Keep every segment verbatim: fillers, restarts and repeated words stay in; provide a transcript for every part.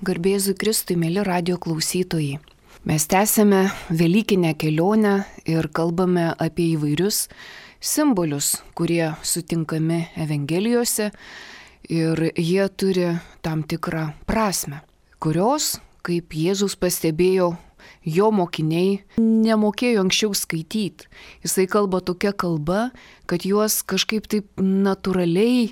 Garbėzui Kristui, mėly radio klausytojai. Mes tęsėme Velykinę kelionę ir kalbame apie įvairius simbolius, kurie sutinkami Evangelijose ir jie turi tam tikrą prasme, kurios, kaip Jėzus pastebėjo, jo mokiniai nemokėjo anksčiau skaityti. Jisai kalba tokia kalba, kad juos kažkaip taip natūraliai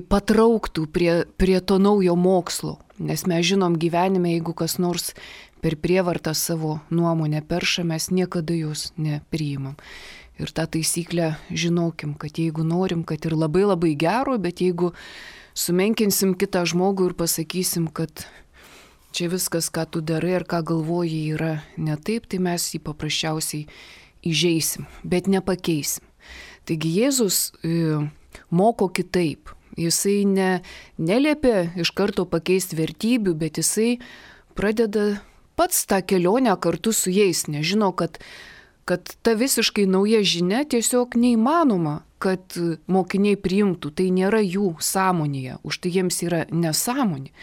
patrauktų prie, prie to naujo mokslo. Nes mes žinom gyvenime, jeigu kas nors per prievartą savo nuomonę perša, mes niekada jos nepriimam. Ir tą taisyklę žinokim, kad jeigu norim, kad ir labai labai gero, bet jeigu sumenkinsim kitą žmogų ir pasakysim, kad čia viskas, ką tu darai ar ką galvoji, yra ne taip, tai mes jį paprasčiausiai įžeisim, bet nepakeisim. Taigi Jėzus e, moko kitaip. Jisai ne, neliepia iš karto pakeisti vertybių, bet jisai pradeda pats tą kelionę kartu su jais. Nežino, kad, kad ta visiškai nauja žinia tiesiog neįmanoma, kad mokiniai priimtų. Tai nėra jų sąmonėje, už tai jiems yra nesąmonė.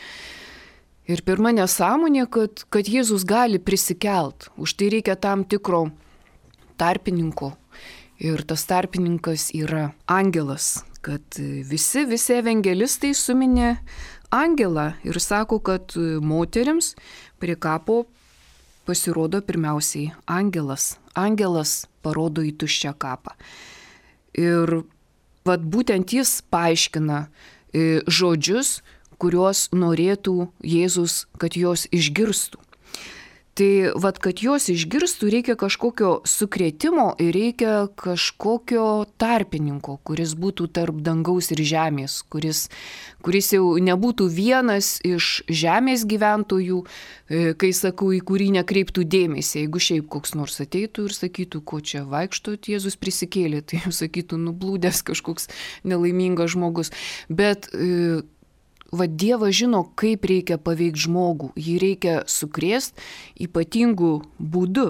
Ir pirma nesąmonė, kad, kad Jėzus gali prisikelt. Už tai reikia tam tikro tarpininko. Ir tas tarpininkas yra angelas. Kad visi, visi evangelistai suminė angelą ir sako, kad moterims prie kapo pasirodo pirmiausiai angelas. Angelas parodo į tuščią kapą. Ir vat būtent jis paaiškina e, žodžius, kuriuos norėtų Jėzus, kad jos išgirstų. Tai vat, kad jos išgirstų, reikia kažkokio sukrėtimo ir reikia kažkokio tarpininko, kuris būtų tarp dangaus ir žemės, kuris, kuris jau nebūtų vienas iš žemės gyventojų, kai sakau, į kurį nekreiptų dėmesį. Jeigu šiaip koks nors ateitų ir sakytų, ko čia vaikštot, Jėzus prisikėlė, tai jau sakytų, nublūdęs kažkoks nelaimingas žmogus. Bet va, Dievas žino, kaip reikia paveikti žmogų, jį reikia sukrėsti ypatingų būdų.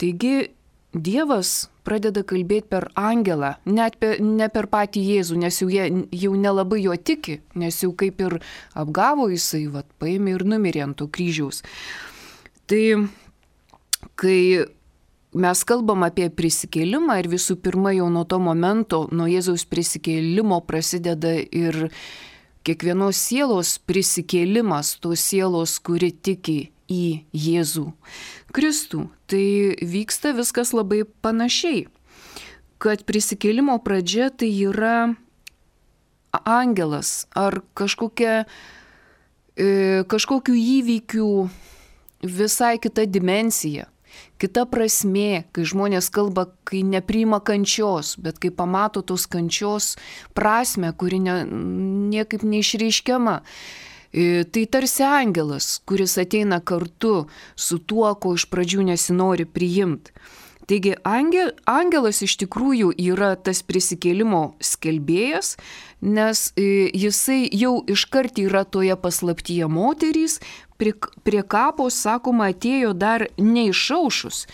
Taigi Dievas pradeda kalbėti per angelą, net per, ne per patį Jėzų, nes jau, jie, jau nelabai jo tiki, nes jau kaip ir apgavo jisai, va, paėmė ir numirė ant to kryžiaus. Tai kai mes kalbam apie prisikėlimą ir visų pirma jau nuo to momento, nuo Jėzaus prisikėlimo prasideda ir kiekvienos sielos prisikėlimas, tos sielos, kuri tiki į Jėzų Kristų. Tai vyksta viskas labai panašiai, kad prisikėlimo pradžia tai yra angelas ar kažkokia, e, kažkokių įvykių visai kita dimensija. Kita prasmė, kai žmonės kalba, kai nepriima kančios, bet kai pamato tos kančios prasmę, kuri ne, niekaip neišreiškiama. E, tai tarsi angelas, kuris ateina kartu su tuo, ko iš pradžių nesinori priimti. Taigi angel, angelas iš tikrųjų yra tas prisikėlimo skelbėjas, nes e, jisai jau iškart yra toje paslaptyje moterys. Prie, prie kapo, sakoma, atėjo dar neišaušus.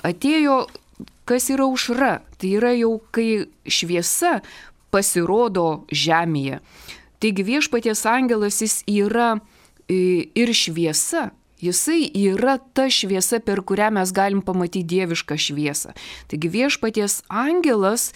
Atėjo, kas yra aušra. Tai yra jau, kai šviesa pasirodo žemėje. Taigi viešpaties angelas jis yra ir šviesa. Jisai yra ta šviesa, per kurią mes galim pamatyti dievišką šviesą. Taigi viešpaties angelas,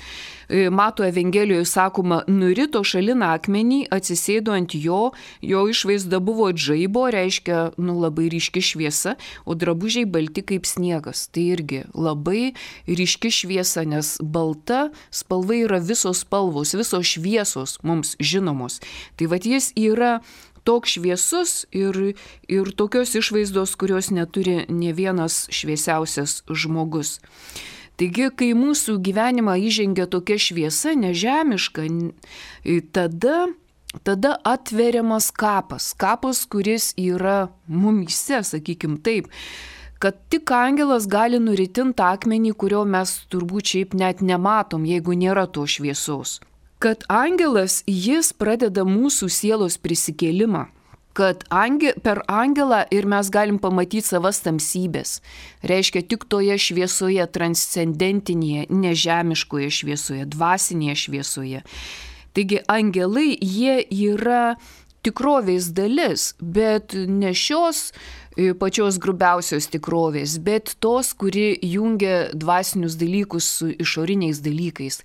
mato Evangelijoje sakoma, nurito šalin akmenį, atsisėdo ant jo, jo išvaizda buvo žaibo, reiškia, nu, labai ryški šviesa, o drabužiai balti kaip sniegas. Tai irgi labai ryški šviesa, nes balta spalva yra visos spalvos, visos šviesos mums žinomos. Tai vat jis yra toks šviesus ir, ir tokios išvaizdos, kurios neturi ne vienas šviesiausias žmogus. Taigi, kai mūsų gyvenimą įžengia tokia šviesa, nežemiška, tada, tada atveriamas kapas. Kapas, kuris yra mumyse, sakykim taip, kad tik angelas gali nuritinti akmenį, kurio mes turbūt šiaip net nematom, jeigu nėra to šviesos. Kad angelas, jis pradeda mūsų sielos prisikėlimą, kad ange, per angelą ir mes galim pamatyti savas tamsybės. Reiškia tik toje šviesoje, transcendentinėje, nežemiškoje šviesoje, dvasinėje šviesoje. Taigi angelai, jie yra tikrovės dalis, bet ne šios pačios grubiausios tikrovės, bet tos, kuri jungia dvasinius dalykus su išoriniais dalykais.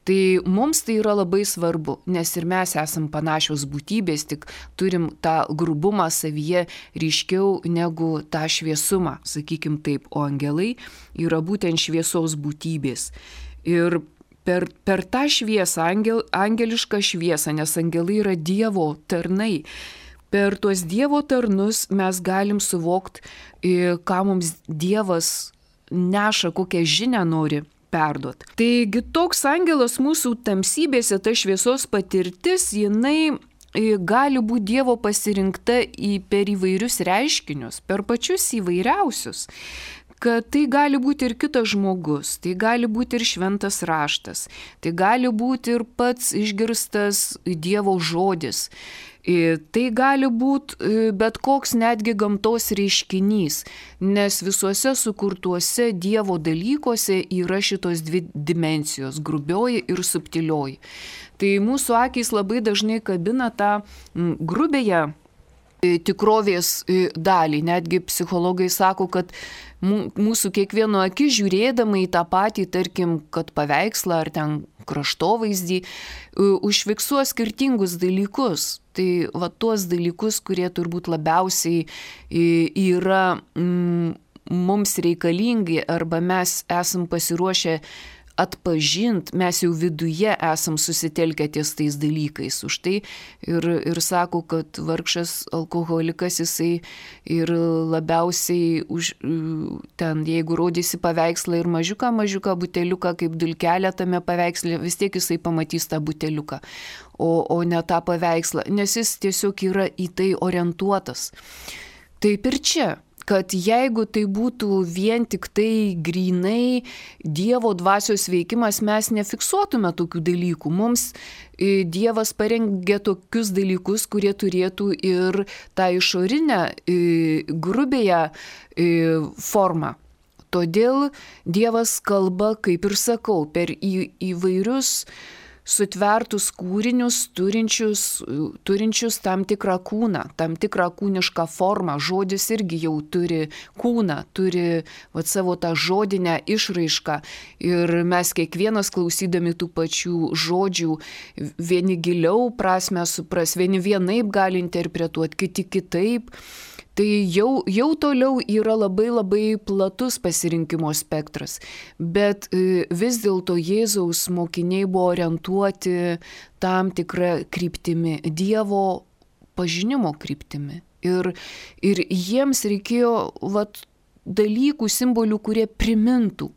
Tai mums tai yra labai svarbu, nes ir mes esam panašios būtybės, tik turim tą grubumą savyje ryškiau negu tą šviesumą, sakykim taip, o angelai yra būtent šviesos būtybės. Ir per, per tą šviesą, angel, angelišką šviesą, nes angelai yra Dievo tarnai, per tuos Dievo tarnus mes galim suvokti, ką mums Dievas neša, kokią žinią nori perduoti. Taigi toks angelas mūsų tamsybėse, ta šviesos patirtis, jinai gali būti Dievo pasirinkta į, per įvairius reiškinius, per pačius įvairiausius. Kad tai gali būti ir kitas žmogus, tai gali būti ir šventas raštas, tai gali būti ir pats išgirstas Dievo žodis. Tai gali būti bet koks netgi gamtos reiškinys, nes visuose sukurtuose Dievo dalykuose yra šitos dvi dimensijos – grubioji ir subtilioji. Tai mūsų akys labai dažnai kabina tą grubėją tikrovės dalį. Netgi psichologai sako, kad mūsų kiekvieno akis žiūrėdama į tą patį, tarkim, kad paveikslą ar ten kraštovaizdį, užfiksuos skirtingus dalykus. Tai va tuos dalykus, kurie turbūt labiausiai yra mm, mums reikalingi arba mes esam pasiruošę atpažint, mes jau viduje esam susitelkę ties tais dalykais. Už tai ir, ir sako, kad vargšas alkoholikas jisai ir labiausiai už, ten, jeigu rodysi paveikslą ir mažiuką, mažiuką buteliuką kaip dulkelę tame paveiksle, vis tiek jisai pamatys tą buteliuką, o, o ne tą paveikslą, nes jis tiesiog yra į tai orientuotas. Taip ir čia. Kad jeigu tai būtų vien tik tai grynai Dievo dvasios veikimas, mes nefiksuotume tokių dalykų. Mums Dievas parengė tokius dalykus, kurie turėtų ir tą išorinę grubėją formą. Todėl Dievas kalba, kaip ir sakau, per į, įvairius sutvertus kūrinius, turinčius, turinčius tam tikrą kūną, tam tikrą kūnišką formą. Žodis irgi jau turi kūną, turi vat, savo tą žodinę išraišką. Ir mes kiekvienas klausydami tų pačių žodžių, vieni giliau prasmę supras, vieni vienaip gali interpretuoti, kiti kitaip. Tai jau, jau toliau yra labai labai platus pasirinkimo spektras, bet vis dėlto Jėzaus mokiniai buvo orientuoti tam tikrą kryptimi, Dievo pažinimo kryptimi. Ir, ir jiems reikėjo vat, dalykų, simbolių, kurie primintų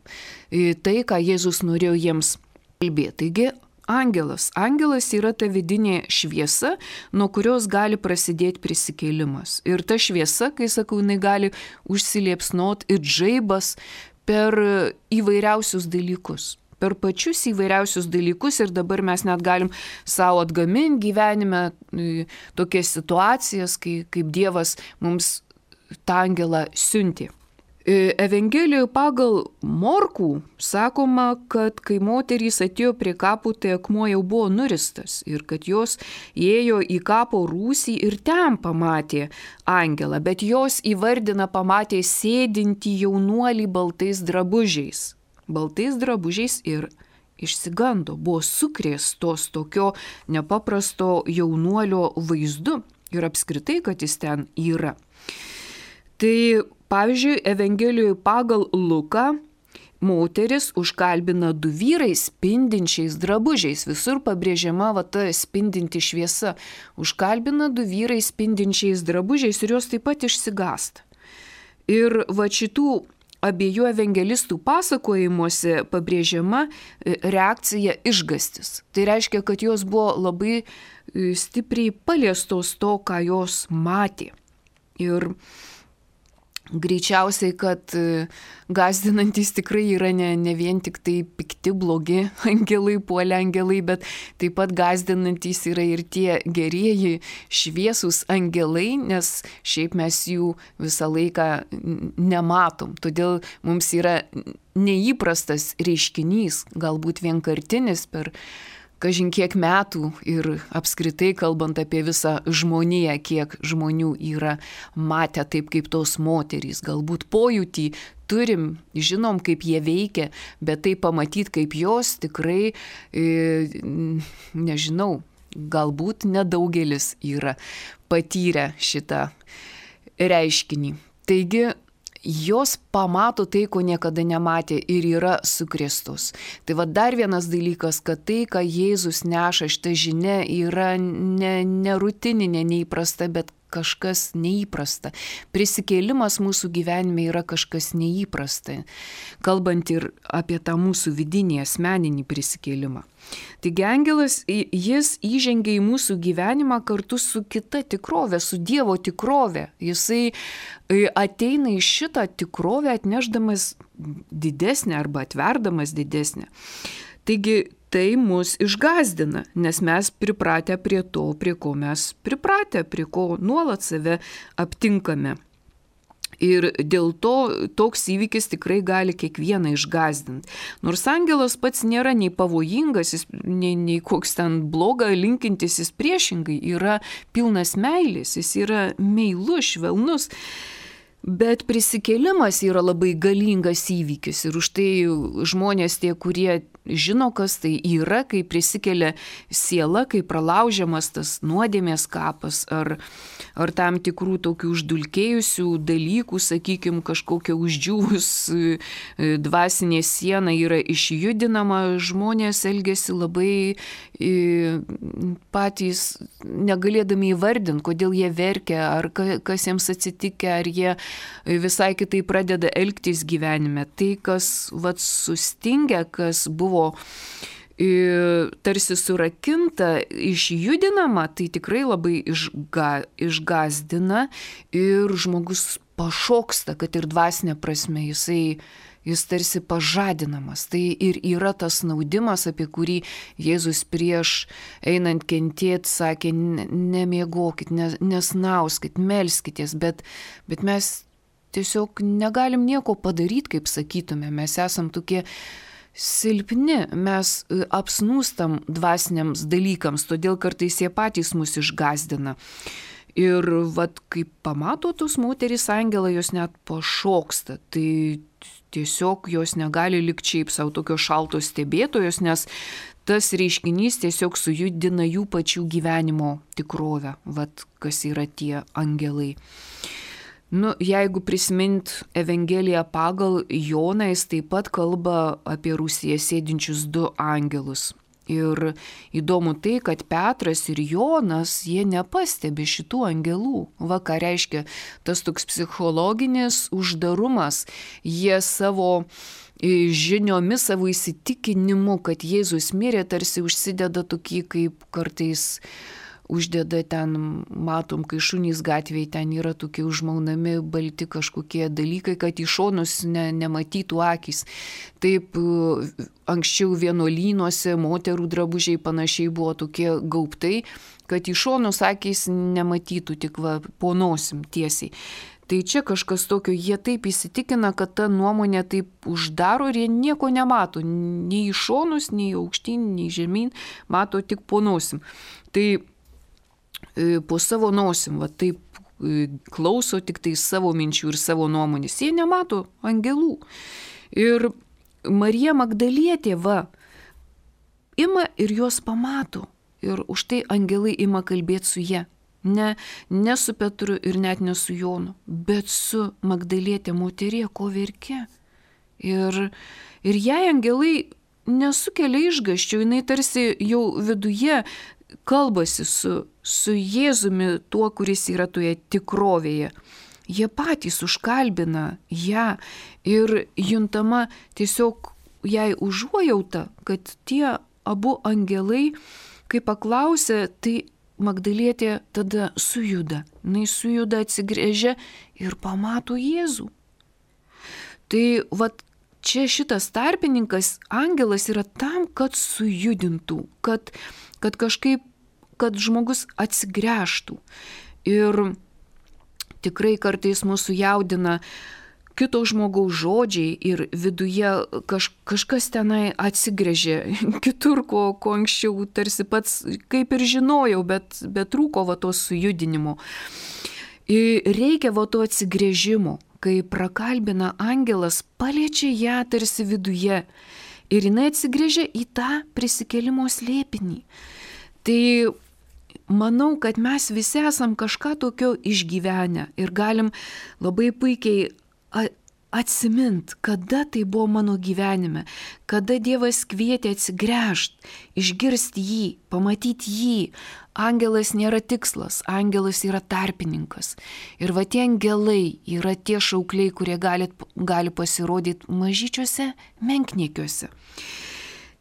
tai, ką Jėzus norėjo jiems kalbėti. Taigi, Angelas. Angelas yra ta vidinė šviesa, nuo kurios gali prasidėti prisikėlimas. Ir ta šviesa, kai sakau, jinai gali užsiliepsnot ir žaibas per įvairiausius dalykus. Per pačius įvairiausius dalykus ir dabar mes net galim savo atgaminti gyvenime tokias situacijas, kai, kaip Dievas mums tą angelą siuntė. Evangelijoje pagal Morkų sakoma, kad kai moterys atėjo prie kapų, tai akmuo jau buvo nuristas ir kad jos ėjo į kapo rūsį ir ten pamatė angelą, bet jos įvardina pamatė sėdintį jaunuolį baltais drabužiais. Baltais drabužiais ir išsigando, buvo sukrėstos tokio nepaprasto jaunuolio vaizdu ir apskritai, kad jis ten yra. Tai pavyzdžiui, Evangelijoje pagal Luką moteris užkalbina du vyrai spindinčiais drabužiais. Visur pabrėžiama va ta spindinti šviesa. Užkalbina du vyrai spindinčiais drabužiais ir jos taip pat išsigąsta. Ir va šitų abiejų evangelistų pasakojimuose pabrėžiama reakcija išgastis. Tai reiškia, kad jos buvo labai stipriai paliestos to, ką jos matė. Ir greičiausiai, kad gąsdinantys tikrai yra ne, ne vien tik tai pikti, blogi angelai, puolę angelai, bet taip pat gąsdinantys yra ir tie gerieji šviesūs angelai, nes šiaip mes jų visą laiką nematom. Todėl mums yra neįprastas reiškinys, galbūt vienkartinis per kažin kiek metų ir apskritai kalbant apie visą žmoniją, kiek žmonių yra matę taip kaip tos moterys. Galbūt pojūtį turim, žinom, kaip jie veikia, bet tai pamatyti kaip jos tikrai, e, nežinau, galbūt nedaugelis yra patyrę šitą reiškinį. Taigi, jos pamato tai, ko niekada nematė ir yra sukrėstos. Tai va dar vienas dalykas, kad tai, ką Jėzus neša, šita žinia yra ne, ne rutininė, neįprasta, bet kažkas neįprasta. Prisikėlimas mūsų gyvenime yra kažkas neįprasta, kalbant ir apie tą mūsų vidinį asmeninį prisikėlimą. Taigi angelas, jis įžengia į mūsų gyvenimą kartu su kita tikrove, su Dievo tikrove. Jisai ateina į šitą tikrovę atnešdamas didesnę arba atverdamas didesnę. Taigi tai mus išgąsdina, nes mes pripratę prie to, prie ko mes pripratę, prie ko nuolat save aptinkame. Ir dėl to toks įvykis tikrai gali kiekvieną išgąsdinti. Nors angelas pats nėra nei pavojingas, jis, nei, nei koks ten blogą linkintis, jis priešingai yra pilnas meilės, jis yra meilus, švelnus. Bet prisikėlimas yra labai galingas įvykis ir už tai žmonės tie, kurie žino, kas tai yra, kai prisikelia siela, kai pralaužiamas tas nuodėmės kapas ar, ar tam tikrų tokių uždulkėjusių dalykų, sakykime, kažkokia uždžiūvus dvasinė siena yra išjudinama, žmonės elgiasi labai patys negalėdami įvardinti, kodėl jie verkia, ar kas jiems atsitikę, ar jie visai kitai pradeda elgtis gyvenime. Tai, kas vat sustingia, kas buvo e, tarsi surakinta, išjudinama, tai tikrai labai išga, išgazdina ir žmogus pašoksta, kad ir dvasinė prasme, jisai, jis tarsi pažadinamas. Tai ir yra tas naudimas, apie kurį Jėzus prieš einant kentėti sakė, nemiegokit, nesnauskit, melskitės, bet, bet mes tiesiog negalim nieko padaryti, kaip sakytume. Mes esam tokie silpni, mes apsnūstam dvasiniams dalykams, todėl kartais jie patys mus išgazdina. Ir vat, kai pamato tos moterys angelą, jos net pašoksta. Tai tiesiog jos negali likti šiaip savo tokios šaltos stebėtojos, nes tas reiškinys tiesiog sujudina jų pačių gyvenimo tikrovę, vat, kas yra tie angelai. Nu, jeigu prisimint Evangeliją pagal Joną, jis taip pat kalba apie rūsyje sėdinčius du angelus. Ir įdomu tai, kad Petras ir Jonas, jie nepastebi šitų angelų. Va, ką reiškia tas toks psichologinis uždarumas. Jie savo žiniomis, savo įsitikinimu, kad Jėzus mirė, tarsi užsideda tokį, kaip kartais uždeda ten, matom, kai šunys gatvėje, ten yra tokie užmaunami balti kažkokie dalykai, kad į šonus ne, nematytų akys. Taip, anksčiau vienuolynuose moterų drabužiai panašiai buvo tokie gaubtai, kad į šonus akys nematytų, tik va, po nosim tiesiai. Tai čia kažkas tokio, jie taip įsitikina, kad ta nuomonė taip uždaro ir jie nieko nemato, nei į šonus, nei aukštyn, nei žemyn, mato tik po nosim. Tai po savo nosim, va taip klauso tik tai savo minčių ir savo nuomonės. Jie nemato angelų. Ir Marija Magdalietė, va, ima ir juos pamato. Ir už tai angelai ima kalbėti su jie. Ne, ne su Petru ir net ne su Jonu, bet su Magdalietė, moterie, ko verkia. Ir, ir jai angelai nesukelia išgąsčio, jinai tarsi jau viduje kalbasi su, su Jėzumi, tuo, kuris yra toje tikrovėje. Jie patys užkalbina ją ir juntama tiesiog jai užuojauta, kad tie abu angelai, kai paklausė, tai Magdalietė tada sujuda. Jis sujuda, atsigręžia ir pamato Jėzų. Tai vat čia šitas tarpininkas, angelas yra tam, kad sujudintų, kad kad kažkaip, kad žmogus atsigręžtų. Ir tikrai kartais mūsų jaudina, kito žmogaus žodžiai ir viduje kaž, kažkas tenai atsigrėžė kitur, ko, ko anksčiau tarsi pats kaip ir žinojau, bet, bet trūko va to sujudinimo. Ir reikia va to atsigrėžimo, kai prakalbina angelas, paliečia ją tarsi viduje ir jinai atsigrėžia į tą prisikėlimo slėpinį. Tai manau, kad mes visi esam kažką tokio išgyvenę ir galim labai puikiai atsimint, kada tai buvo mano gyvenime, kada Dievas kvietė atsigręžti, išgirsti jį, pamatyti jį. Angelas nėra tikslas, angelas yra tarpininkas. Ir va tie angelai yra tie šaukliai, kurie gali, gali pasirodyti mažyčiuose menkniekiuose.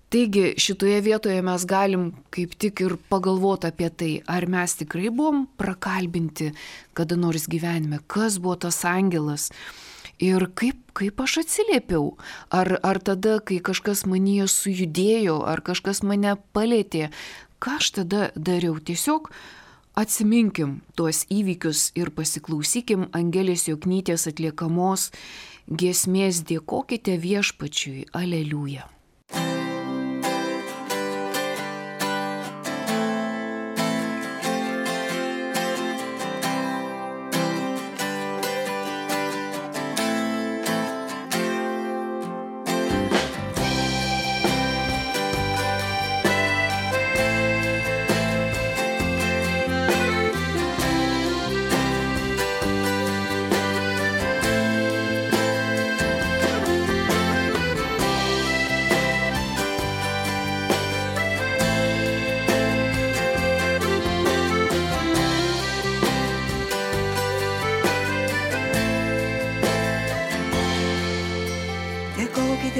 Taigi šitoje vietoje mes galim kaip tik ir pagalvoti apie tai, ar mes tikrai buvom prakalbinti kada nors gyvenime, kas buvo tas angelas ir kaip, kaip aš atsiliepiau. Ar, ar tada, kai kažkas manyje sujudėjo, ar kažkas mane palėtė, ką aš tada dariau? Tiesiog atsiminkim tuos įvykius ir pasiklausykim Angelės Joknytės atliekamos giesmės Dėkokite Viešpačiui, aleliuja.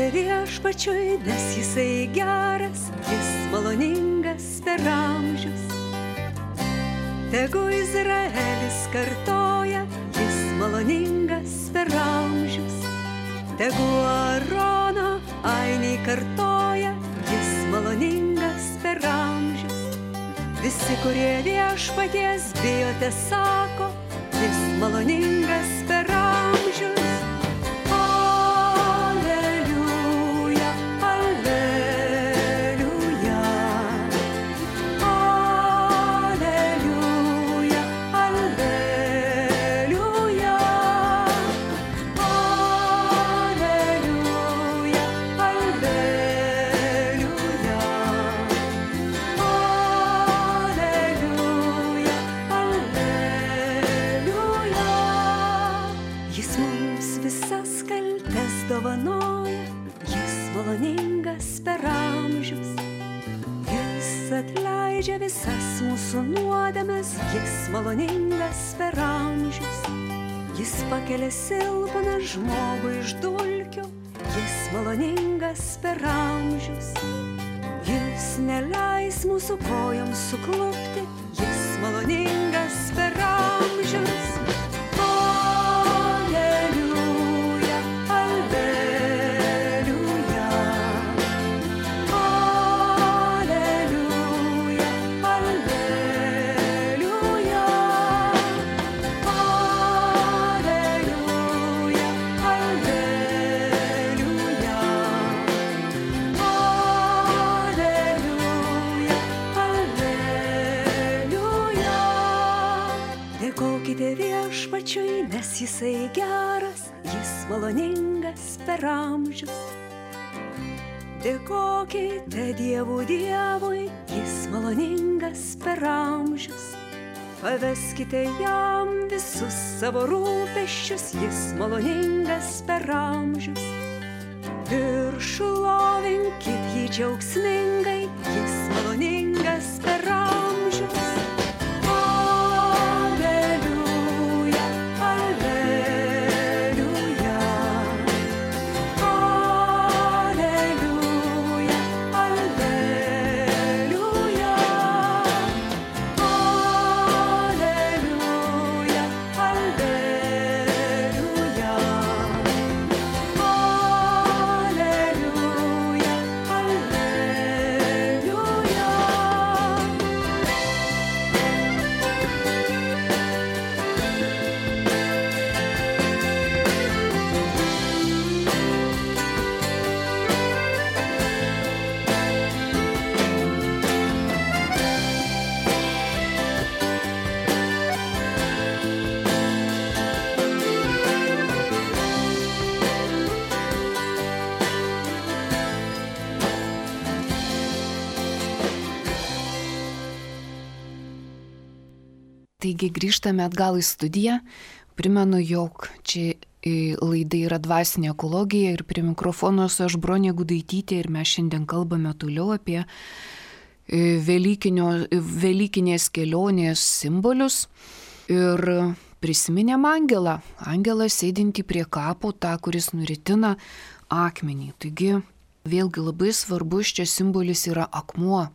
Viešpačiui, nes jisai geras, jis maloningas per amžius. Tegu Izraelis kartoja, jis maloningas per amžius. Tegu Arono ainiai kartoja, jis maloningas per amžius. Visi, kurie Viešpaties bijote, sako, jis maloningas per amžius. Atleidžia visas mūsų nuodėmes, jis maloningas per amžius. Jis pakelia silpną žmogų iš dulkių, jis maloningas per amžius. Jis neleis mūsų kojoms suklupti, jis maloningas per amžius. Viešpačiui, nes jisai geras, jis maloningas per amžius. Dėkokite Dievų Dievui, jis maloningas per amžius. Paveskite jam visus savo rūpesčius, jis maloningas per amžius. Ir šlovinkit jį džiaugsmingai, jis maloningas per amžius. Taigi grįžtame atgal į studiją. Primenu, jog čia laida yra dvasinė ekologija ir prie mikrofono esu aš Bronė Gudaitytė ir mes šiandien kalbame toliau apie Velykinės kelionės simbolius ir prisiminėm angelą, angelą sėdintį prie kapo, tą, kuris nuritina akmenį. Taigi vėlgi labai svarbus čia simbolis yra akmuo.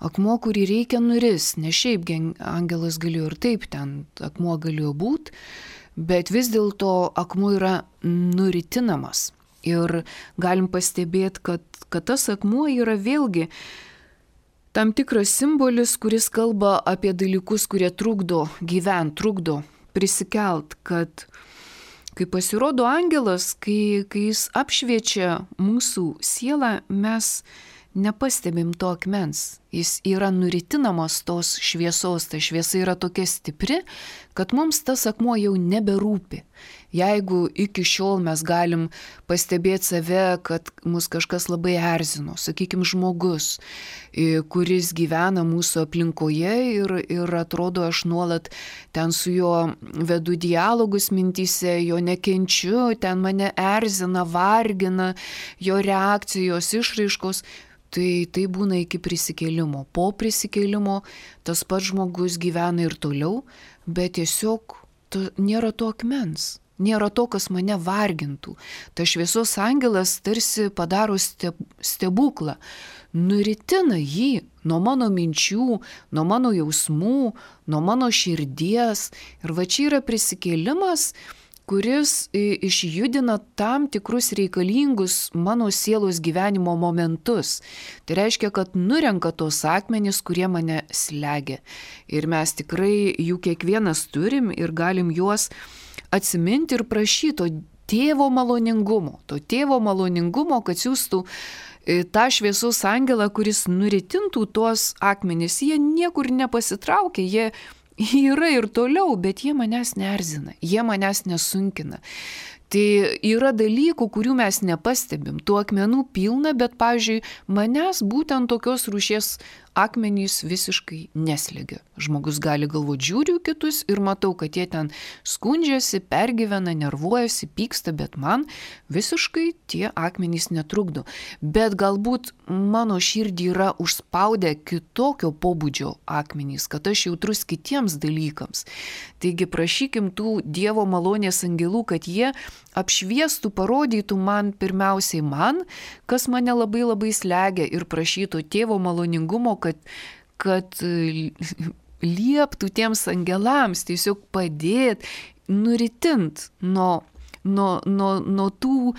Akmuo, kurį reikia nuris, ne šiaip angelas galėjo ir taip, ten akmuo galėjo būti, bet vis dėlto akmuo yra nuritinamas. Ir galim pastebėti, kad, kad tas akmuo yra vėlgi tam tikras simbolis, kuris kalba apie dalykus, kurie trukdo gyventi, trukdo prisikelt, kad kai pasirodo angelas, kai, kai jis apšviečia mūsų sielą, mes nepastebim to akmens. Jis yra nuritinamas tos šviesos, ta šviesa yra tokia stipri, kad mums tas akmuo jau neberūpi. Jeigu iki šiol mes galim pastebėti save, kad mus kažkas labai erzino, sakykime, žmogus, kuris gyvena mūsų aplinkoje ir, ir atrodo, aš nuolat ten su juo vedu dialogus mintyse, jo nekenčiu, ten mane erzina, vargina, jo reakcijos, išraiškos, tai tai būna iki prisikėlimo. Po prisikėlimo tas pats žmogus gyvena ir toliau, bet tiesiog to, nėra to akmens. Nėra to, kas mane vargintų. Ta šviesos angelas tarsi padaro stebuklą, nuritina jį nuo mano minčių, nuo mano jausmų, nuo mano širdies. Ir va čia yra prisikėlimas, kuris išjudina tam tikrus reikalingus mano sielos gyvenimo momentus. Tai reiškia, kad nurenka tos akmenys, kurie mane slegia. Ir mes tikrai jų kiekvienas turim ir galim juos atsiminti ir prašyti to tėvo maloningumo, to tėvo maloningumo, kad siūstų tą šviesos angelą, kuris nuritintų tuos akmenys. Jie niekur nepasitraukia, jie yra ir toliau, bet jie manęs neerzina, jie manęs nesunkina. Tai yra dalykų, kurių mes nepastebim. Tų akmenų pilna, bet, pavyzdžiui, manęs būtent tokios rūšies akmenys visiškai neslegia. Žmogus gali galvoti, žiūriu kitus ir matau, kad jie ten skundžiasi, pergyvena, nervuojasi, pyksta, bet man visiškai tie akmenys netrukdo. Bet galbūt mano širdį yra užspaudę kitokio pobūdžio akmenys, kad aš jautrus kitiems dalykams. Taigi prašykim tų Dievo malonės angelų, kad jie apšviestų, parodytų man pirmiausiai man, kas mane labai labai slegia ir prašytų tėvo maloningumo, kad, kad lieptų tiems angelams tiesiog padėti, nuritint nuo, nuo, nuo, nuo tų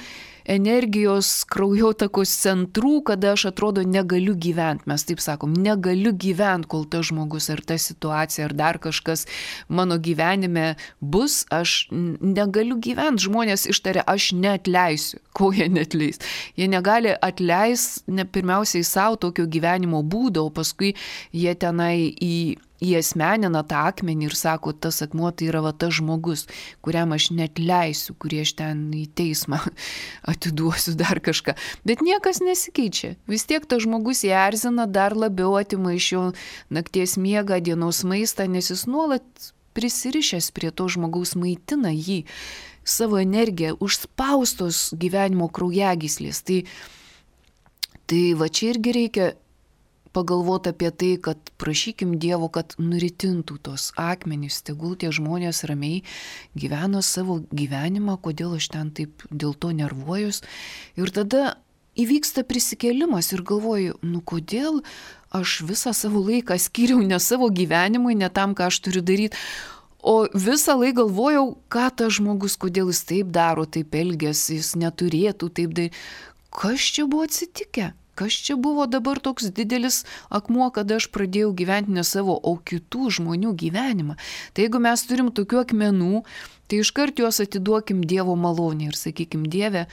energijos kraujotakos centrų, kada aš atrodo negaliu gyventi. Mes taip sakom, negaliu gyventi, kol tas žmogus ar ta situacija ar dar kažkas mano gyvenime bus, aš negaliu gyventi. Žmonės ištaria, aš neatleisiu. Ko jie neatleis? Jie negali atleisti ne pirmiausiai savo tokio gyvenimo būdo, o paskui jie tenai į įasmenina tą akmenį ir sako, tas akmuo tai yra va tas žmogus, kuriam aš neatleisiu, kurį aš ten į teismą atiduosiu dar kažką. Bet niekas nesikeičia. Vis tiek tas žmogus jį erzina, dar labiau atima iš jo nakties miegą, dienos maistą, nes jis nuolat prisirišęs prie to žmogaus, maitina jį savo energiją, užspaustos gyvenimo kraujagyslės. Tai, tai va čia irgi reikia pagalvoti apie tai, kad prašykim Dievo, kad nuritintų tos akmenys, tegul tie žmonės ramiai gyveno savo gyvenimą, kodėl aš ten taip dėl to nervuojus. Ir tada įvyksta prisikėlimas ir galvoju, nu kodėl aš visą savo laiką skyriau ne savo gyvenimui, ne tam, ką aš turiu daryti, o visą laiką galvojau, ką tas žmogus, kodėl jis taip daro, taip elgiasi, jis neturėtų taip daryti. Kas čia buvo atsitikę? Kas čia buvo dabar toks didelis akmuo, kada aš pradėjau gyventi ne savo, o kitų žmonių gyvenimą. Tai jeigu mes turim tokių akmenų, tai iškart juos atiduokim Dievo malonę ir sakykim, Dieve,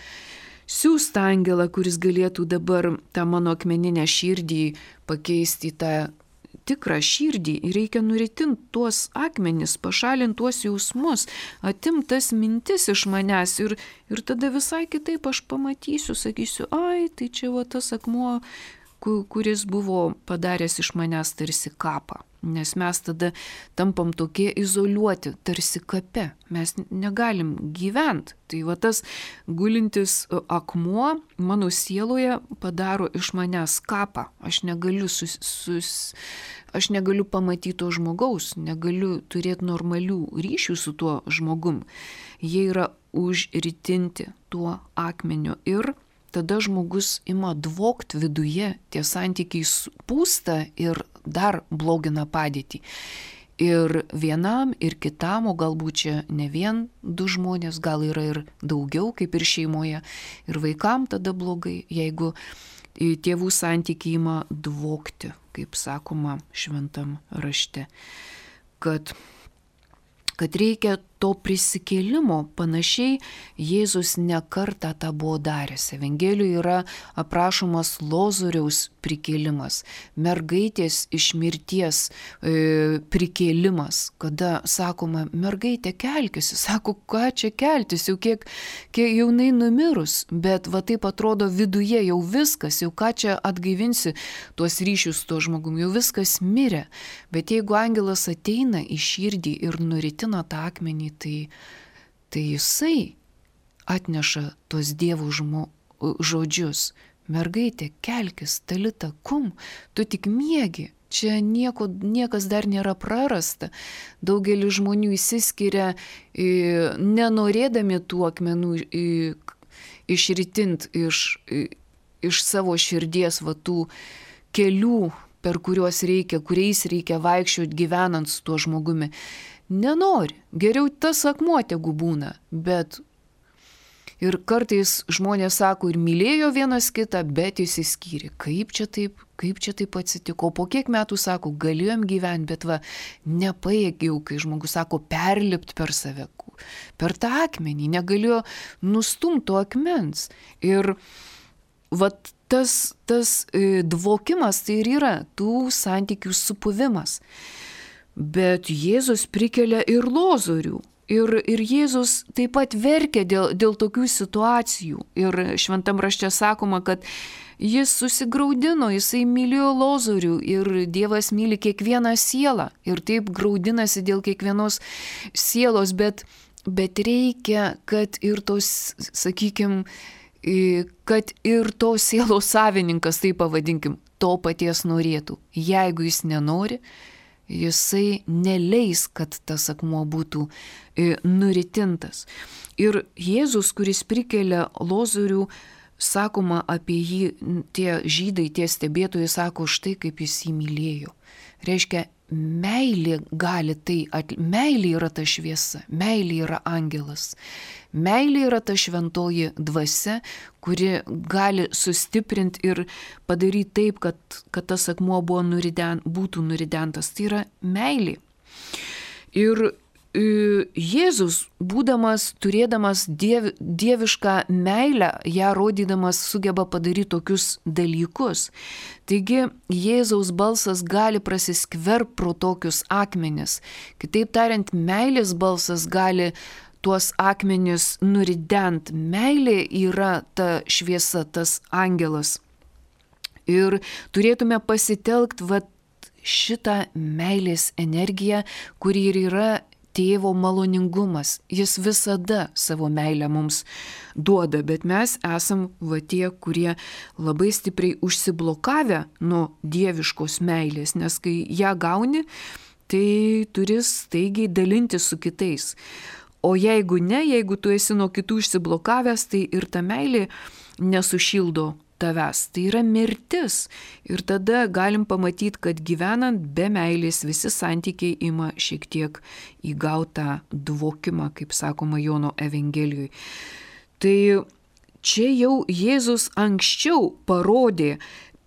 siųsk tą angelą, kuris galėtų dabar tą mano akmeninę širdį pakeisti į tą tikrą širdį. Ir reikia nuritinti tuos akmenis, pašalinti tuos jausmus, atimti tas mintis iš manęs ir, ir tada visai kitaip aš pamatysiu, sakysiu, ai, tai čia va tas akmuo, kuris buvo padaręs iš manęs tarsi kapą. Nes mes tada tampam tokie izoliuoti, tarsi kape. Mes negalim gyventi. Tai va tas gulintis akmuo mano sieloje padaro iš manęs kapą. Aš negaliu, sus, sus, aš negaliu pamatyti to žmogaus, negaliu turėti normalių ryšių su tuo žmogum. Jie yra užritinti tuo akmeniu ir tada žmogus ima dvokt viduje, tie santykiai pūsta ir dar blogina padėtį. Ir vienam, ir kitam, o galbūt čia ne vien du žmonės, gal yra ir daugiau, kaip ir šeimoje. Ir vaikam tada blogai, jeigu tėvų santykiai ima dvokti, kaip sakoma šventam rašte. Kad, kad reikia to prisikėlimo, panašiai Jėzus ne kartą tą buvo daręs. Evangelijoje yra aprašomas Lozoriaus prikėlimas, mergaitės iš mirties e, prikėlimas, kada sakoma, mergaitė kelkisi, sako, ką čia keltis, jau kiek, kiek jaunai numirus, bet va taip atrodo viduje jau viskas, jau ką čia atgaivinsi tuos ryšius su tuo žmogum, jau viskas mirė. Bet jeigu angelas ateina į širdį ir nuritina tą akmenį, Tai, tai jisai atneša tuos dievų žmo, žodžius. Mergaitė, kelkis, talita kum, tu tik miegi. Čia nieko, niekas dar nėra prarasta. Daugelis žmonių įsiskiria nenorėdami tų akmenų išritint iš, iš savo širdies va tų kelių, per kuriuos reikia, kuriais reikia vaikščioti gyvenant su tuo žmogumi. Nenori, geriau tas akmuo tegu būna, bet ir kartais žmonės sako ir mylėjo vienas kitą, bet išsiskyrė. Kaip čia taip, kaip čia taip atsitiko? Po kiek metų sako, galėjom gyventi, bet va, nepajėgiau, kai žmogus sako, perlipt per save, per tą akmenį, negalėjo nustumti to akmens. Ir va tas, tas e, dvokimas tai ir yra tų santykių supuvimas. Bet Jėzus prikelia ir Lozorių. Ir, ir Jėzus taip pat verkia dėl, dėl tokių situacijų. Ir šventam rašte sakoma, kad jis susigraudino, jisai mylėjo Lozorių ir Dievas myli kiekvieną sielą. Ir taip graudinasi dėl kiekvienos sielos, bet, bet reikia, kad ir tos, sakykime, kad ir tos sielos savininkas, taip pavadinkim, to paties norėtų. Jeigu jis nenori, jisai neleis, kad tas akmuo būtų e, nuritintas. Ir Jėzus, kuris prikelia Lozorių, sakoma apie jį, tie žydai, tie stebėtojai sako, štai kaip jis jį mylėjo. Reiškia, meilė gali tai, at... meilė yra ta šviesa, meilė yra angelas. Meilė yra ta šventoji dvasia, kuri gali sustiprinti ir padaryti taip, kad, kad tas akmuo buvo nuriden, būtų nuridentas. Tai yra meilė. Ir Jėzus, būdamas, turėdamas diev, dievišką meilę, ją rodydamas sugeba padaryti tokius dalykus. Taigi Jėzaus balsas gali prasiskverb pro tokius akmenis. Kitaip tariant, meilės balsas gali tuos akmenis nurident. Meilė yra ta šviesa, tas angelas. Ir turėtume pasitelkti vat šitą meilės energiją, kuri ir yra tėvo maloningumas. Jis visada savo meilę mums duoda, bet mes esam va tie, kurie labai stipriai užsiblokavę nuo dieviškos meilės, nes kai ją gauni, tai turi staigiai dalintis su kitais. O jeigu ne, jeigu tu esi nuo kitų išsiblokavęs, tai ir ta meilė nesušildo tavęs. Tai yra mirtis. Ir tada galim pamatyti, kad gyvenant be meilės visi santykiai ima šiek tiek įgautą dvokimą, kaip sakoma Jono Evangelijoje. Tai čia jau Jėzus anksčiau parodė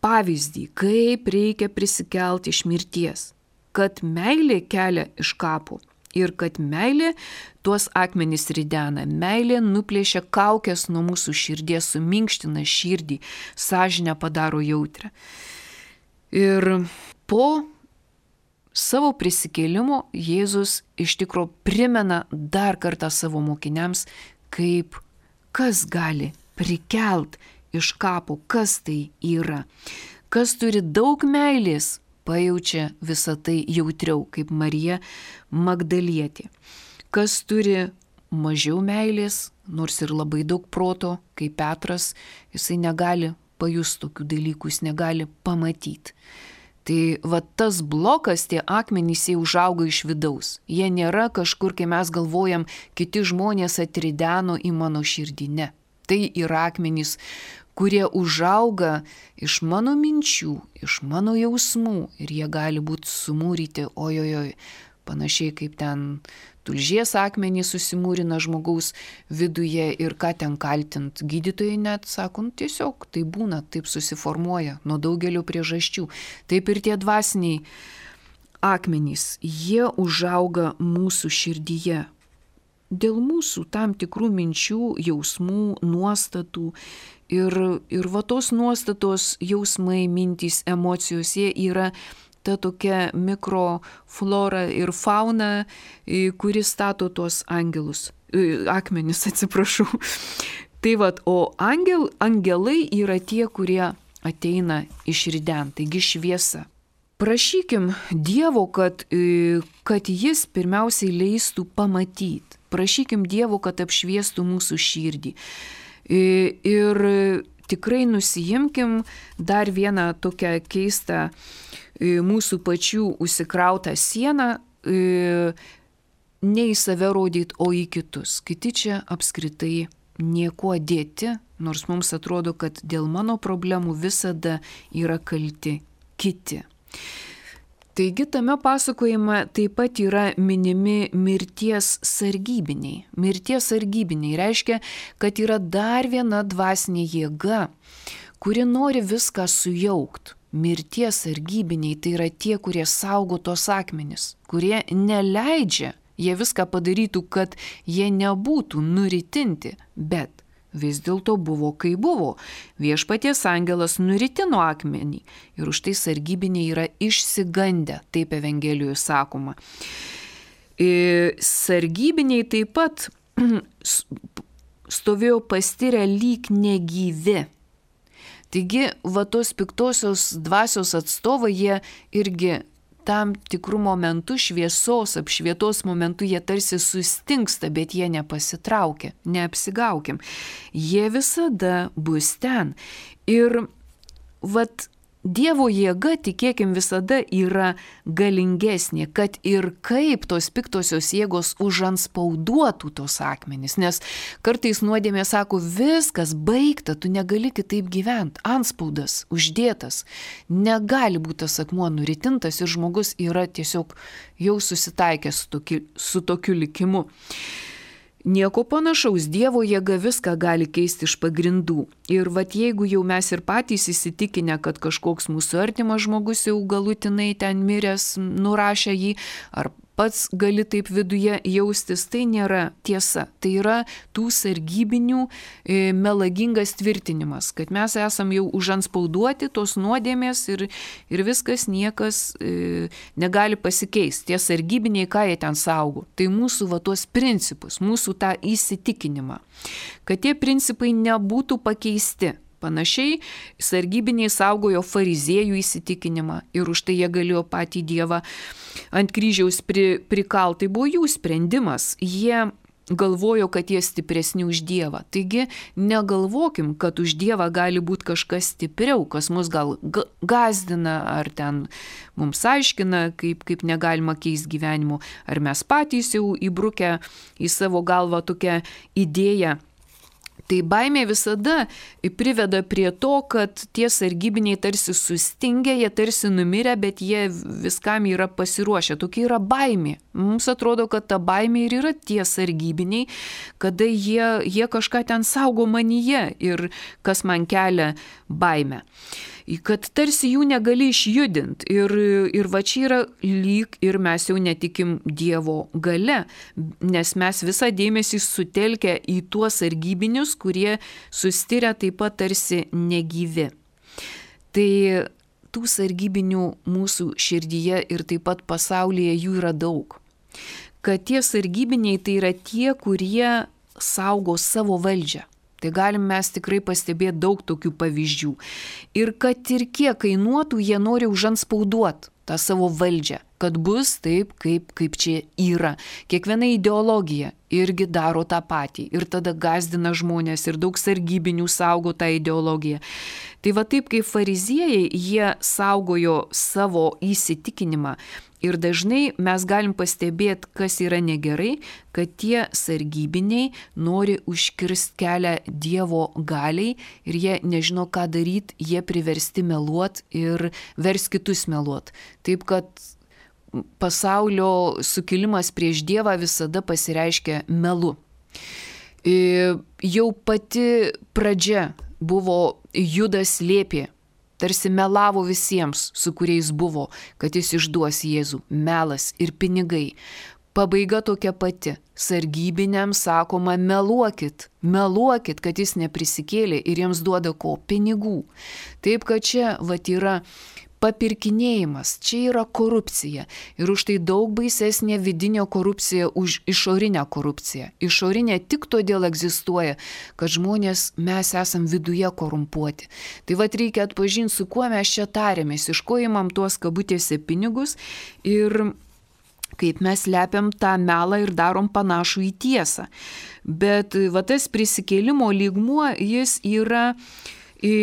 pavyzdį, kaip reikia prisikelti iš mirties, kad meilė kelia iš kapo. Ir kad meilė tuos akmenys ridena, meilė nuplėšia kaukės nuo mūsų širdies, suminkština širdį, sąžinę padaro jautrę. Ir po savo prisikėlimo Jėzus iš tikro primena dar kartą savo mokiniams, kaip kas gali prikelt iš kapo, kas tai yra. Kas turi daug meilės, pajaučia visą tai jautriau, kaip Marija Magdalietė. Kas turi mažiau meilės, nors ir labai daug proto, kaip Petras, jisai negali pajusti tokių dalykų, jis negali pamatyti. Tai va tas blokas, tie akmenys, jie užauga iš vidaus. Jie nėra kažkur, kai mes galvojam, kiti žmonės atrideno į mano širdį. Ne. Tai yra akmenys, kurie užauga iš mano minčių, iš mano jausmų ir jie gali būti sumūryti, ojojoj, panašiai kaip ten tulžies akmenys susimūrina žmogaus viduje ir ką ten kaltint. Gydytojai net sako, nu, tiesiog tai būna, taip susiformuoja nuo daugelio priežasčių. Taip ir tie dvasiniai akmenys, jie užauga mūsų širdyje. Dėl mūsų tam tikrų minčių, jausmų, nuostatų ir, ir va tos nuostatos, jausmai, mintys, emocijos, jie yra ta tokia mikroflora ir fauna, kuri stato tuos angelus, akmenis, atsiprašau. Tai vat, o angel, angelai yra tie, kurie ateina iš riden, taigi šviesa. Prašykim Dievo, kad, kad jis pirmiausiai leistų pamatyti. Prašykim Dievo, kad apšviestų mūsų širdį. Ir tikrai nusijimkim dar vieną tokią keistą mūsų pačių užsikrautą sieną, ne į save rodyti, o į kitus. Kiti čia apskritai niekuo dėti, nors mums atrodo, kad dėl mano problemų visada yra kalti kiti. Taigi tame pasakojime taip pat yra minimi mirties sargybiniai. Mirties sargybiniai reiškia, kad yra dar viena dvasinė jėga, kuri nori viską sujaukti. Mirties sargybiniai tai yra tie, kurie saugo tos akmenis, kurie neleidžia, jie viską padarytų, kad jie nebūtų nuritinti, bet vis dėlto buvo, kai buvo. Viešpaties angelas nuritino akmenį ir už tai sargybiniai yra išsigandę, taip Evangelijoje sakoma. Sargybiniai taip pat stovėjo pastirę lyg negyvi. Taigi, va tos piktosios dvasios atstovai, jie irgi tam tikrų momentų šviesos, apšvietos momentų jie tarsi sustingsta, bet jie nepasitraukia, neapsigaukim. Jie visada bus ten. Ir vat Dievo jėga, tikėkim, visada yra galingesnė, kad ir kaip tos piktosios jėgos užanspauduotų tos akmenys. Nes kartais nuodėmė sako, viskas baigta, tu negali kitaip gyventi. Antspaudas uždėtas, negali būti tas akmuo nuritintas ir žmogus yra tiesiog jau susitaikęs su tokiu, su tokiu likimu. Nieko panašaus, Dievo jėga viską gali keisti iš pagrindų. Ir vat jeigu jau mes ir patys įsitikinę, kad kažkoks mūsų artimas žmogus jau galutinai ten miręs, nurašė jį, ar pats gali taip viduje jaustis, tai nėra tiesa. Tai yra tų sargybinių e, melagingas tvirtinimas, kad mes esam jau užanspauduoti tos nuodėmės ir, ir viskas niekas e, negali pasikeisti. Tie sargybiniai, ką jie ten saugo, tai mūsų va tuos principus, mūsų tą įsitikinimą, kad tie principai nebūtų pakeisti. Panašiai, sargybiniai saugojo fariziejų įsitikinimą ir už tai jie galėjo patį Dievą ant kryžiaus pri, prikalt. Tai buvo jų sprendimas. Jie galvojo, kad jie stipresni už Dievą. Taigi negalvokim, kad už Dievą gali būti kažkas stipriau, kas mus gal gazdina ar ten mums aiškina, kaip, kaip negalima keisti gyvenimo. Ar mes patys jau įbrukę į savo galvą tokią idėją. Tai baimė visada priveda prie to, kad tie sargybiniai tarsi sustingę, jie tarsi numirę, bet jie viskam yra pasiruošę. Tokia yra baimė. Mums atrodo, kad ta baimė ir yra tie sargybiniai, kada jie, jie kažką ten saugo manyje ir kas man kelia baimę. Kad tarsi jų negali išjudinti ir, ir va čia yra lyg ir mes jau netikim Dievo gale, nes mes visą dėmesį sutelkę į tuos sargybinius, kurie sustiria taip pat tarsi negyvi. Tai tų sargybinių mūsų širdyje ir taip pat pasaulyje jų yra daug. Kad tie sargybiniai tai yra tie, kurie saugo savo valdžią. Tai galim mes tikrai pastebėti daug tokių pavyzdžių. Ir kad ir kiek kainuotų, jie nori užanspauduoti tą savo valdžią, kad bus taip, kaip, kaip čia yra. Kiekviena ideologija irgi daro tą patį ir tada gazdina žmonės ir daug sargybinių saugo tą ideologiją. Tai va taip kaip fariziejai, jie saugojo savo įsitikinimą ir dažnai mes galim pastebėti, kas yra negerai, kad tie sargybiniai nori užkirsti kelią Dievo galiai ir jie nežino, ką daryti, jie priversti meluoti ir vers kitus meluoti. Taip kad pasaulio sukilimas prieš Dievą visada pasireiškia melu. Jau pati pradžia buvo Judas slėpė, tarsi melavo visiems, su kuriais buvo, kad jis išduos Jėzų, melas ir pinigai. Pabaiga tokia pati. Sargybiniams sakoma, meluokit, meluokit, kad jis neprisikėlė ir jiems duoda ko? Pinigų. Taip kad čia vat yra papirkinėjimas, čia yra korupcija. Ir už tai daug baisesnė vidinė korupcija už išorinę korupciją. Išorinė tik todėl egzistuoja, kad žmonės mes esam viduje korumpuoti. Tai vat reikia atpažinti, su kuo mes čia tarėmės, iš ko imam tuos kabutėse pinigus ir kaip mes lepiam tą melą ir darom panašų į tiesą. Bet va tas prisikėlimo lygmuo, jis yra į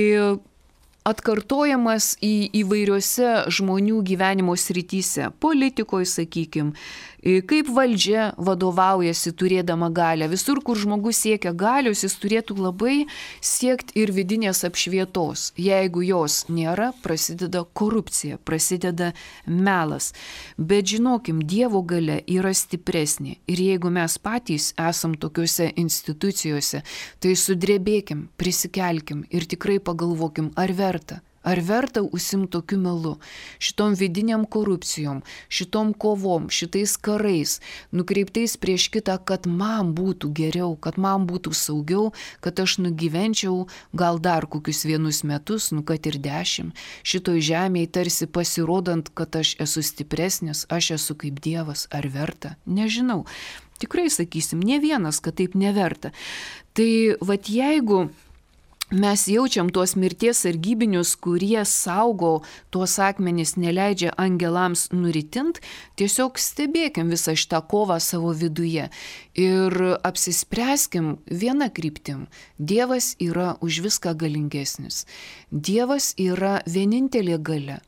atkartojamas į įvairiose žmonių gyvenimo srityse, politikoje, sakykime, kaip valdžia vadovaujasi turėdama galią. Visur, kur žmogus siekia galios, jis turėtų labai siekti ir vidinės apšvietos. Jeigu jos nėra, prasideda korupcija, prasideda melas. Bet žinokim, Dievo galia yra stipresnė. Ir jeigu mes patys esam tokiuose institucijose, tai sudrebėkim, prisikelkim ir tikrai pagalvokim, ar verta. Ar verta užsimti tokiu melu, šitom vidiniam korupcijom, šitom kovom, šitais karais, nukreiptais prieš kitą, kad man būtų geriau, kad man būtų saugiau, kad aš nugyvenčiau gal dar kokius vienus metus, nu kad ir dešimt, šitoj žemėje tarsi pasirodant, kad aš esu stipresnis, aš esu kaip Dievas, ar verta? Nežinau. Tikrai sakysim, ne vienas, kad taip neverta. Tai vat jeigu mes jaučiam tuos mirties sargybinius, kurie saugo tuos akmenis, neleidžia angelams nuritint, tiesiog stebėkim visą šitą kovą savo viduje ir apsispręskim vieną kryptim. Dievas yra už viską galingesnis. Dievas yra vienintelė galia.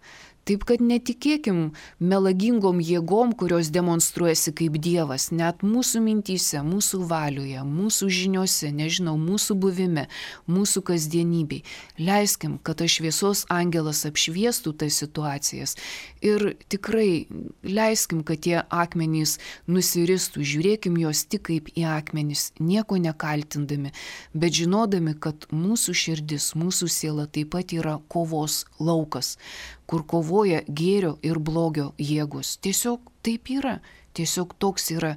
Taip kad netikėkim melagingom jėgom, kurios demonstruojasi kaip Dievas, net mūsų mintyse, mūsų valioje, mūsų žiniose, nežinau, mūsų buvime, mūsų kasdienybei. Leiskim, kad tas šviesos angelas apšviestų tas situacijas ir tikrai leiskim, kad tie akmenys nusiristų, žiūrėkim juos tik kaip į akmenis, nieko nekaltindami, bet žinodami, kad mūsų širdis, mūsų siela taip pat yra kovos laukas, kur kovoja gėrio ir blogio jėgos. Tiesiog taip yra, tiesiog toks yra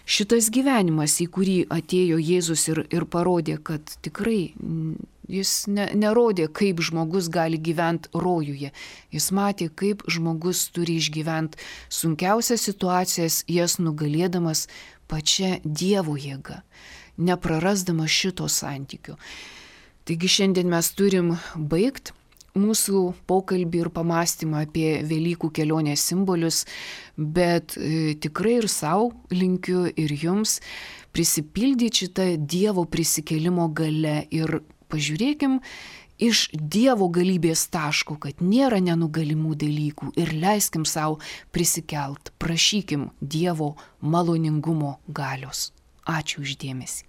šitas gyvenimas, į kurį atėjo Jėzus ir, ir parodė, kad tikrai jis ne, nerodė, kaip žmogus gali gyventi rojuje. Jis matė, kaip žmogus turi išgyventi sunkiausias situacijas, jas nugalėdamas pačia Dievo jėga, neprarasdamas šito santykių. Taigi šiandien mes turim baigti mūsų pokalbį ir pamastymą apie Velykų kelionės simbolius, bet e, tikrai ir savo linkiu ir jums prisipildyti šitą Dievo prisikėlimo gale ir pažiūrėkim iš Dievo galybės taško, kad nėra nenugalimų dalykų ir leiskim savo prisikelt, prašykim Dievo maloningumo galios. Ačiū už dėmesį.